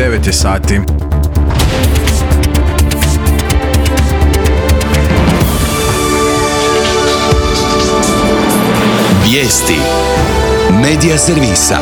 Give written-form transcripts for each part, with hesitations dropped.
9 je sati. Vijesti Medija servisa.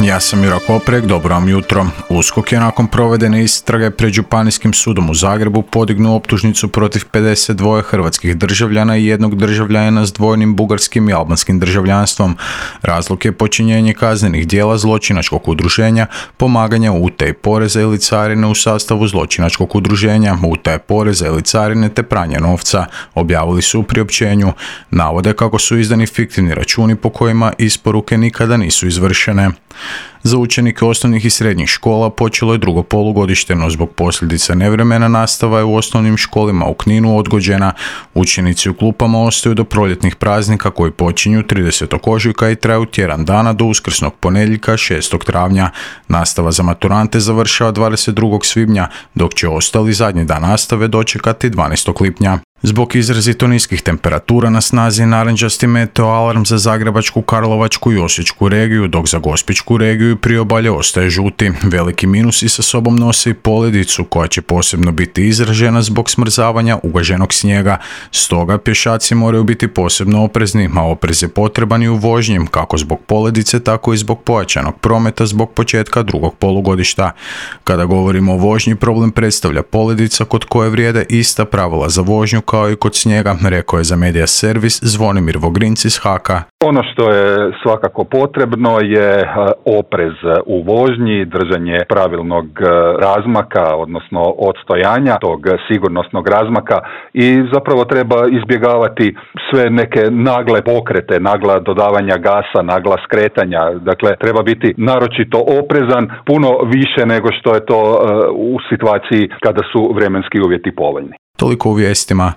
Ja sam Jura Koprek, dobro vam jutro. USKOK je nakon provedene istrage pred Županijskim sudom u Zagrebu podignuo optužnicu protiv 52 hrvatskih državljana i jednog državljana s dvojnim bugarskim i albanskim državljanstvom. Razlog je počinjenje kaznenih djela zločinačkog udruženja, pomaganja u utaji poreza ili carine u sastavu zločinačkog udruženja, utaje poreza ili carine te pranja novca, objavili su u priopćenju. Navode kako su izdani fiktivni računi po kojima isporuke nikada nisu izvršene. Za učenike osnovnih i srednjih škola počelo je drugo polugodište, no zbog posljedica nevremena nastava je u osnovnim školama u Kninu odgođena. Učenici u klupama ostaju do proljetnih praznika koji počinju 30. ožujka i traju tjedan dana do uskrsnog ponedjeljka 6. travnja. Nastava za maturante završava 22. svibnja, dok će ostali zadnji dan nastave dočekati 12. lipnja. Zbog izrazito niskih temperatura na snazi je narančasti meteo alarm za Zagrebačku, Karlovačku i Osječku regiju, dok za Gospićku regiju i priobalje ostaje žuti. Veliki minusi sa sobom nose i poledicu koja će posebno biti izražena zbog smrzavanja ugaženog snijega. Stoga pješaci moraju biti posebno oprezni, a oprez je potreban i u vožnji, kako zbog poledice, tako i zbog pojačanog prometa zbog početka drugog polugodišta. Kada govorimo o vožnji, problem predstavlja poledica kod koje vrijede ista pravila za vožnju kao i kod snijega, rekao je za Medija servis Zvonimir Vogrinc iz HAK-a. Ono što je svakako potrebno je oprez u vožnji, držanje pravilnog razmaka, odnosno odstojanja tog sigurnosnog razmaka i zapravo treba izbjegavati sve neke nagle pokrete, nagla dodavanja gasa, nagla skretanja. Dakle, treba biti naročito oprezan, puno više nego što je to u situaciji kada su vremenski uvjeti povoljni. Toliko u vijestima.